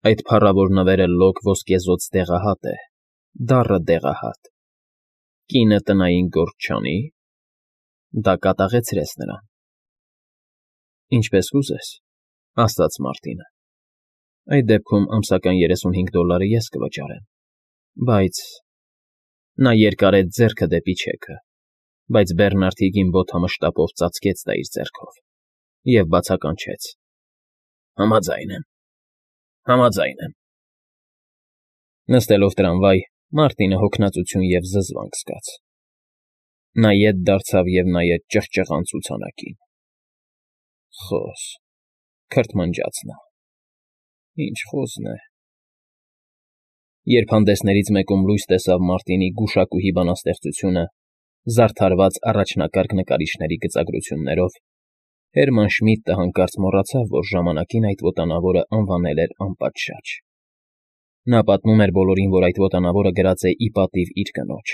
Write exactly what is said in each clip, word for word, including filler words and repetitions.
Այդ փառավոր նվերը լոկ ոսկեզօծ դեղահատ է, դառը դեղահատ, կինը տնային գործ չանի՞։ Դա կատաղեցրեց նրան։ ֊ Ինչպես կուզես,֊ ասաց Մարտինը,֊ այդ դեպքում ամսական երեսունհինգ դոլարը ես կվճարեմ, բայց…֊ Նա երկարեց ձեռքը դեպի չեքը, բայց Բերնարդ Հիգինբոթամը մշտապով ծածկեց դա իր ձեռքով և բացականչեց. Համաձայն եմ, համաձայն եմ… Նստելով տրամվայ, Մարտինը հոգնածություն և զզվանք զգաց. նա ետ դարձավ և նայեց ճղճղան ցուցանակին. «Խոզ…֊ քրթմնջաց նա։֊ Ինչ խոզն է…»։ Երբ հանդեսներից մեկում լույս տեսավ Մարտինի գուշակուհի բանաստեղծությունը՝ զարդարված առաջնակարգ նկարիչների գծագրություններով, Հերման Շմիդտը հանկարծ մոռացավ, որ ժամանակին այդ վոտանավորը անվանել էր անպատշաճ. նա պատմում էր բոլորին, որ այդ վոտանավորը գրած է ի պատիվ իր կնոջ,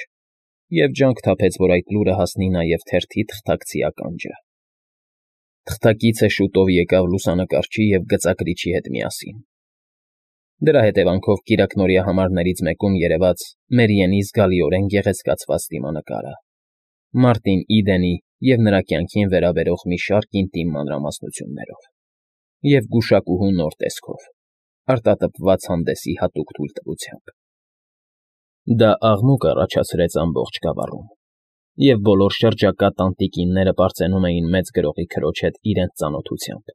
և ջանք թափեց, որ այդ լուրը հասնի նաև թերթի թղթակցի ականջը։ Թղթակիցը շուտով եկավ լուսանկարչի և գծագրիչի հետ միասին։ Դրա հետևանքով կիրակնօրյա համարներից մեկում երևաց Մերիենի զգալիորեն գեղեցկացված դիմանկարը՝ Մարտին Իդենի և նրա կյանքին վերաբերող մի շարք ինտիմ մանրամասնություններով, և գուշակուհու նոր տեսքով, արտատպված հանդեսի հատուկ թույլտվությամբ։ Դա աղմուկ առաջացրեց ամբողջ գավառում, և բոլոր շրջակա տանտիկինները պարծենում էին մեծ գրողի քրոջ հետ իրենց ծանոթությամբ,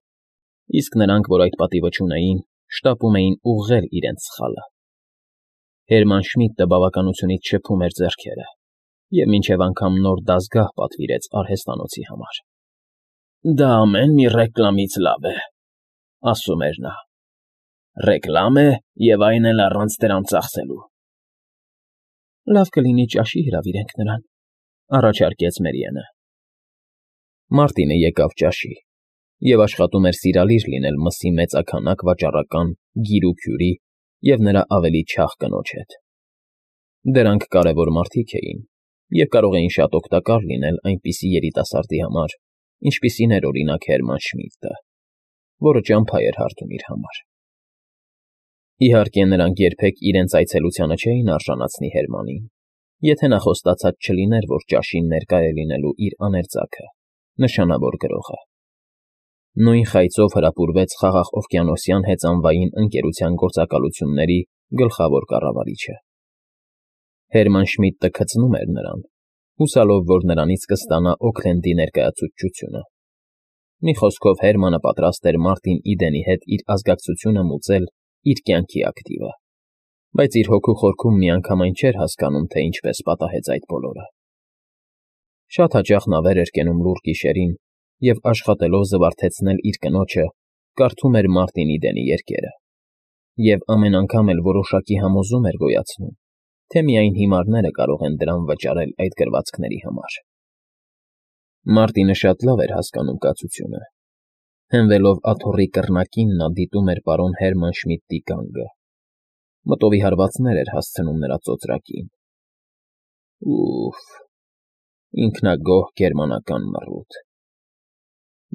իսկ նրանք, որ այդ պատիվը չունեին, շտապում էին ուղղել իրենց սխալը։ Հերման Շմիդտը բավականությունից շփում էր ձեռքերը և մինչև անգամ նոր դասգահ պատվիրեց արհեստանոցի համար։ «Դա ամեն մի ռեկլամից լավ է,֊ ասում էր նա,֊ ռեկլամ է և այն էլ առանց դրամ ծախսելու»։ ֊ Լավ կլինի ճաշի հրավիրենք նրան,֊ առաջարկեց Մերիենը։ Մարտինը եկավ ճաշի և աշխատում էր սիրալիր լինել մսի մեծաքանակ վաճառական Գիրուկյուրի և նրա ավելի չաղ կնոջ հետ։ Դրանք կարևոր մարդիկ էին և կարող էին շատ օգտակար լինել այնպիսի երիտասարդի համար, ինչպիսին էր, օրինակ, Հերման Շմիդտը, որը ճամփա էր հարթում իր համար։ Իհարկե, նրանք երբեք իրենց այցելությանը չէին արժանացնի Հերմանին, եթե նա խոստացած չլիներ, որ ճաշին ներկա է լինելու իր աներձակը՝ նշանավոր գրողը։ Նույն խայծով հրապուրվեց Խաղաղօվկիանոսյան հեծանվային ընկերության գործակալությունների գլխավոր կառավարիչը։ Հերման Շմիդտը քծնում էր նրան, հուսալով, որ նրանից կստանա Օքլենդի ներկայացուցչությունը։ Մի խոսքով, Հերմանը պատրաստ էր Մարտին Իդենի հետ իր ազգակցությունը մուծել իր կյանքի ակտիվը, բայց իր հոգու խորքում միանգամայն չէր հասկանում, թե ինչպես պատահեց այդ բոլորը։ Շատ հաճախ նա վեր էր կենում լուռ գիշերին և, աշխատելով զվարթեցնել իր կնոջը, կարդում էր Մարտին Իդենի երգերը, և ամեն անգամ էլ որոշակի համոզում էր գոյացնում, թե միայն հիմարները կարող են դրամ վճարել այդ գրվածքների համար։ Մարտինը շատ լավ էր հասկանում կացությունը։ Հենվելով աթոռի կռնակին նա դիտում էր պարոն Հերման Շմիդտի գանգը, մտովի հարվածներ էր հասցնում նրա ծոծրակին։ Ու՜ֆ, ինքնագոհ գերմանական մռութ…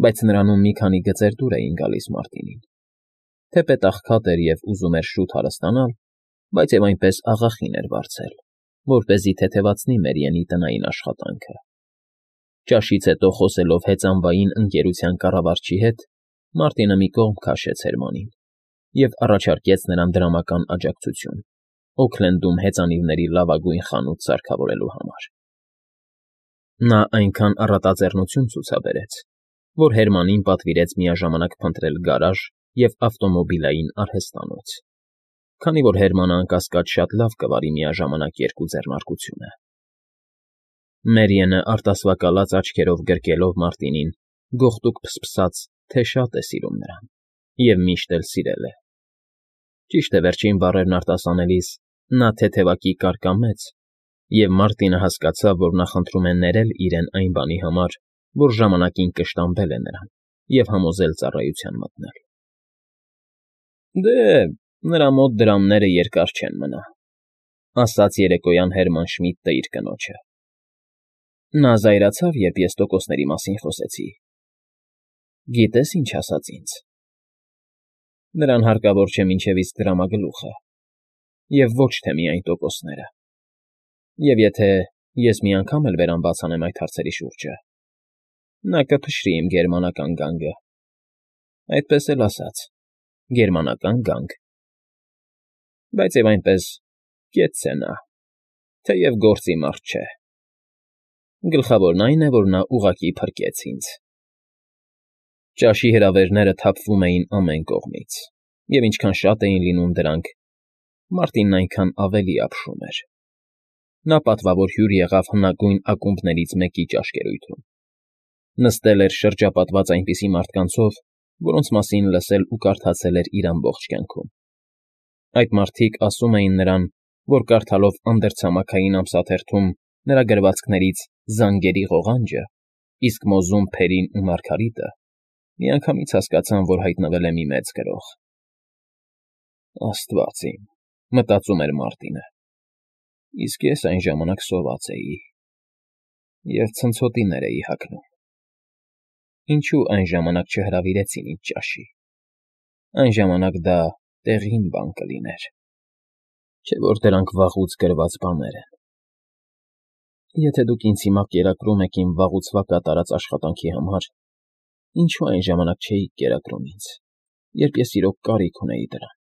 Բայց նրանում մի քանի գծեր դուր էին գալիս Մարտինին, թեպետ աղքատ էր և ուզում էր շուտ հարստանալ, բայց և այնպես աղախին էր վարձել, որպեսզի թեթևացնի Մերիենի տնային աշխատանքը։ Ճաշից հետո, խոսելով հեծանվային ընկերության կառավարչի հետ, Մարտինը մի կողմ քաշեց Հերմանին և առաջարկեց նրան դրամական աջակցություն Օքլենդում հեծանիվների լավագույն խանութ սարքավորելու համար։ Նա այնքան առատաձեռնություն ցուցաբերեց, որ Հերմանին պատվիրեց միաժամանակ փնտրել գարաժ և ավտոմոբիլային արհեստանոց, քանի որ Հերմանը, անկասկած, շատ լավ կվարի միաժամանակ երկու ձեռնարկությունը։ Մերիենը արտասվակալած աչքերով գրկելով Մարտինին, գողտուկ փսփսաց, թե շատ է սիրում նրան և միշտ էլ սիրել է։ Ճիշտ է, վերջին բառերն արտասանելիս նա թեթևակի կարկամեց, և Մարտինը հասկացավ, որ նա խնդրում է ներել իրեն այն բանի համար, որ ժամանակին կշտամբել է նրան և համոզել ծառայության մտնել։ ֊ Դե, նրա մոտ դրամները երկար չեն մնա,֊ ասաց երեկոյան Հերման Շմիդտը իր կնոջը։ Նա զայրացավ, երբ ես տոկոսների մասին խոսեցի։ Գիտե՞ս ինչ ասաց ինձ։ Նրան հարկավոր չէ մինչև իսկ դրամագլուխը, և ոչ թե միայն տոկոսները։ Եվ եթե ես մի անգամ էլ բերան բացանեմ այդ հարցերի շուրջը, նա կփշրի իմ գերմանական գանգը, այդպես էլ ասած, գերմանական գանգ։ Բայց և այնպես կեցց է նա, թեև գործի մարդ չէ։ Գլխավորն այն է, որ նա ուղղակի փրկեց ինձ։ Ճաշի հրավերները թափվում էին ամեն կողմից, և ինչքան շատ էին լինում դրանք, Մարտինն այնքան ավելի ապշում էր։ Նա պատվավոր հյուր եղավ հնագույն ակումբներից մեկի ճաշկերույթում։ Նստել էր շրջապատված այնպիսի մարդկանցով, որոնց մասին լսել ու կարդացել էր իր ամբողջ կյանքում։ Այդ մարդիկ ասում էին նրան, որ կարդալով անդրցամաքային ամսաթերթում նրա գրվածքներից «Զանգերի ղողանջը», իսկ մոզում «Փերին ու Մարգարիտը», միանգամից հասկացան, որ հայտնվել է մի մեծ գրող։ «Աստված իմ,֊ մտածում էր Մարտինը,֊ իսկ ես այն ժամանակ սոված էի և ցնցոտիներ էի հագնում։ Ինչո՞ւ այն ժամանակ չհրավիրեցին ինձ ճաշի։ Այն ժամանակ դա տեղին բան կլիներ, չէ՞ որ դրանք վաղուց գրված բաներ են։ Եթե դուք ինձ հիմա կերակրում եք իմ վաղուցվա կատարած աշխատանքի համար, ինչո՞ւ այն ժամանակ չէիք կերակրում ինձ, երբ ես իրոք կարիք ունեի դրան։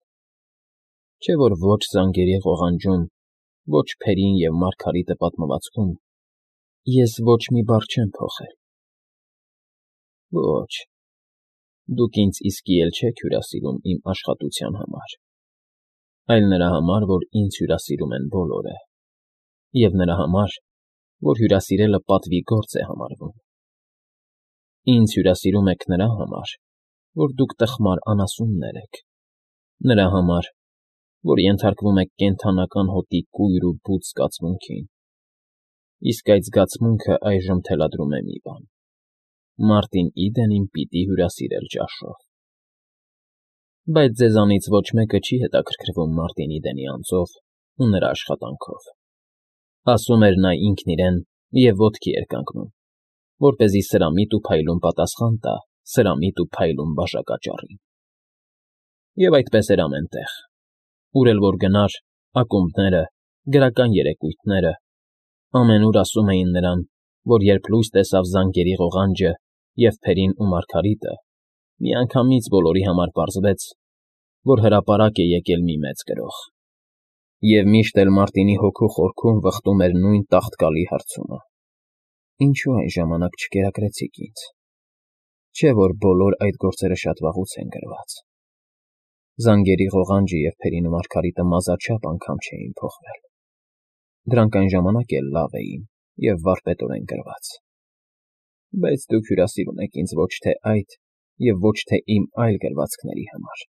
Չէ՞ որ ոչ «Զանգերի ղողանջում», ոչ «Փերին և Մարգարիտը» պատմվածքում ես ոչ մի բառ չեմ փոխել։ Ոչ, դուք ինձ իսկի էլ չեք հյուրասիրում իմ աշխատության համար, այլ նրա համար, որ ինձ հյուրասիրում են բոլորը, և նրա համար, որ հյուրասիրելը պատվի գործ է համարվում։ Ինձ հյուրասիրում եք նրա համար, որ դուք տխմար անասուններ եք, նրա համար, որ ենթարկվում եք կենդանական հոտի կույր ու բութ զգացմունքին, իսկ այդ զգացմունքը այժմ թելադրում է մի բան. Մարտին Իդենին պիտի հյուրասիրել ճաշով։ Բայց ձեզանից ոչ մեկը չի հետաքրքրվում Մարտին Իդենի անձով ու նրա աշխատանքով,֊ ասում էր նա ինքն իրեն և ոտքի էր կանգնում, որպեսզի սրամիտ ու փայլուն պատասխան տա սրամիտ ու փայլուն բաժակաճառին։ Եվ այդպես էր ամեն տեղ, ուր էլ որ գնար, ակումբները, գրական երեկույթները, ամենուր ասում էին նրան, որ երբ լույս տեսավ «Զանգերի ղողանջը» և «Փերին ու Մարգարիտը», միանգամից բոլորի համար պարզվեց, որ հրապարակ է եկել մի մեծ գրող։ Եվ միշտ էլ Մարտինի հոգու խորքում վխտում էր նույն տաղտկալի հարցումը. «Ինչո՞ւ այն ժամանակ չկերակրեցիք ինձ։ Չէ՞ որ բոլոր այդ գործերը շատ վաղուց են գրված։ «Զանգերի ղողանջը» և «Փերին ու Մարգարիտը» մազաչափ անգամ չէին փոխվել։ Դրանք այն ժամանակ էլ լավ էին և վարպետորեն գրված։ Բայց դուք հյուրասիրում եք ինձ ոչ թե այդ և ոչ թե իմ այլ գրվածքների համար։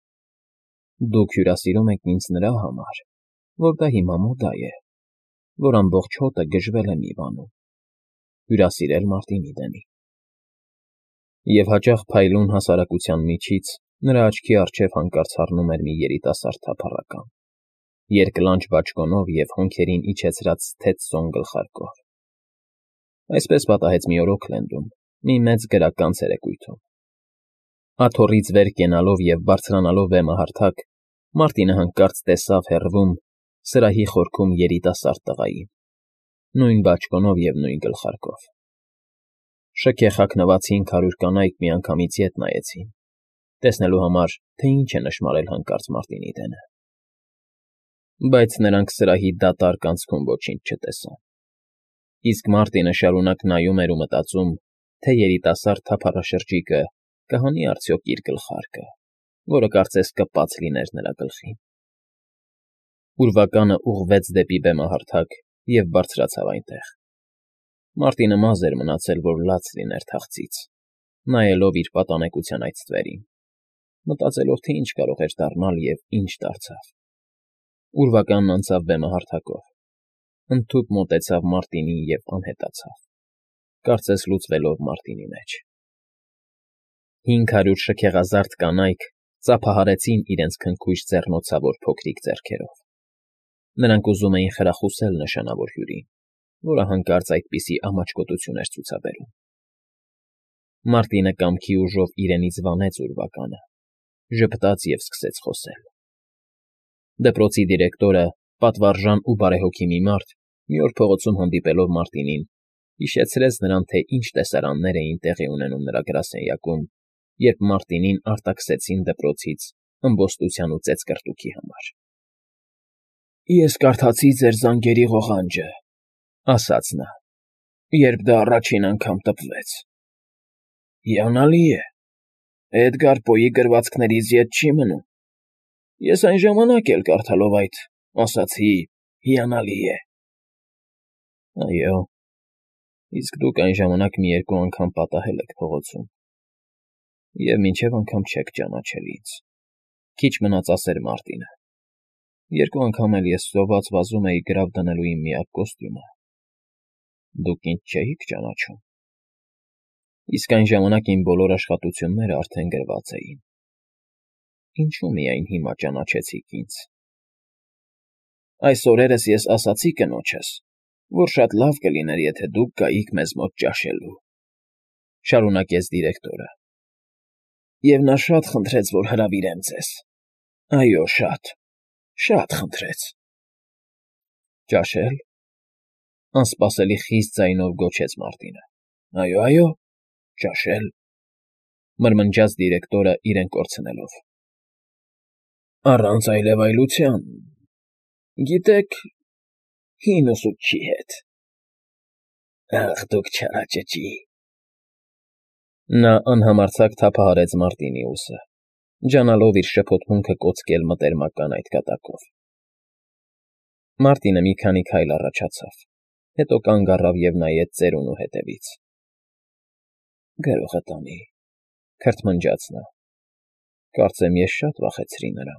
Դուք հյուրասիրում եք ինձ նրա համար, որ դա հիմա մոդա է, որ ամբողջ հոտը գժվել է մի բանում՝ հյուրասիրել Մարտին Իդենին»։ Եվ հաճախ փայլուն հասարակության միջից նրա աչքի առջև հանկարծ հառնում էր մի երիտասարդ թափառական՝ երկլանջ բաճկոնով և հոնքերին իջեցրած թեթև սոն գլխարկով։ Այսպես պատահեց մի օր Օքլենդում, մի մեծ գրական ցերեկույթում։ Աթոռից վեր կենալով և բարձրանալով բեմահարթակ, Մարտինը հանկարծ տեսավ հեռվում, սրահի խորքում երիտասարդ տղային, նույն բաճկոնով և նույն գլխարկով։ Շքեղ հագնված հինգ հարյուր կանայք միանգամից ետ նայեցին, տեսնելու համար, թե ինչ է նշմարել հանկարծ Մարտին Իդենը։ Բայց նրանք սրահի դատարկ անցքում ոչինչ չտեսան, իսկ Մարտինը շարունակ նայում էր ու մտածում, թե երիտասարդ թափառաշրջիկը կհանի արդյոք իր գլխարկը, որը կարծես կպած լիներ նրա գլխին։ Ուրվականը ուղղվեց դեպի բեմահարթակ և բարձրացավ այնտեղ։ Մարտինը մազ էր մնացել, որ լաց լիներ թախծից, նայելով իր պատանեկության այդ ստվերին, մտածելով, թե ինչ կարող էր դառնալ և ինչ դարձավ։ Ուրվականն անցավ բեմահարթակով, ընդհուպ մոտեցավ Մարտինին և անհետացավ, կարծես լուծվելով Մարտինի մեջ։ Հինգ հարյուր շքեղազարդ կանայք ծափահարեցին իրենց քնքուշ ձեռնոցավոր փոքրիկ ձեռքերով։ Նրանք ուզում էին խրախուսել նշանավոր հյուրին, որը հանկարծ այդպիսի ամաչկոտություն էր ցուցաբերում։ Մարտինը կամքի ուժով իրենից վանեց ուրվականը ժպտաց և սկսեց խոսել. Դպրոցի դիրեկտորը, պատվարժան ու բարեհոգի մի մարդ, մի օր փողոցում հանդիպելով Մարտինին, հիշեցրեց նրան, թե ինչ տեսարաններ էին տեղի ունենում նրա գրասենյակում, երբ Մարտինին արտաքսեցին դպրոցից ըմբոստության ու ծեծկռտուքի համար։ ֊ Ես կարդացի ձեր զանգերի ղողանջը,֊ ասաց նա,֊ երբ դա առաջին անգամ տպվեց։ Հիանալի է, Էդգար Պոյի գրվածքներից ետ չի մնում։ Ես այն ժամանակ էլ կարդալով այդ ասացի. հիանալի է։ ֊ Այո, իսկ դուք այն ժամանակ մի երկու անգամ պատահել եք փողոցում և մինչև անգամ չեք ճանաչել ինձ,֊ քիչ մնաց ասեր Մարտինը։ Երկու անգամ էլ ես սոված վազում էի գրավ դնելու իմ միակ կոստյումը։ Դուք ինձ չէի՞ք ճանաչում։ Իսկ այն ժամանակ իմ բոլոր աշխատությունները արդեն գրված էին։ Ինչու՞ միայն հիմա ճանաչեցիք ինձ։ Այս օրերս ես ասացի կնոջս, որ շատ լավ կլիներ, եթե դուք գայիք մեզ մոտ ճաշելու,֊ շարունակեց դիրեկտորը,֊ և նա շատ խնդրեց, որ հրավիրեմ ձեզ։ Այո, շատ, շատ խնդրեց։ ֊ Ճաշե՞լ,֊ անսպասելի խիստ ձայնով գոչեց Մարտինը։ ֊ Այո, այո, ճաշել,֊ մրմնջաց դիրեկտորը իրեն կորցնելով։ ֊ Առանց այլևայլության, գիտեք, հին ուսուցչի հետ։ ֊ Ախ, դուք չարաճճի…֊ Նա անհամարձակ թափահարեց Մարտինի ուսը, ջանալով իր շփոթմունքը կոծկել մտերմական այդ կատակով։ Մարտինը մի քանի քայլ առաջացավ, հետո կանգ առավ և նայեց ծերունու ետևից։ ֊ Գրողը տանի,֊ քրթմնջաց նա,֊ կարծեմ ես շատ վախեցրի նրան։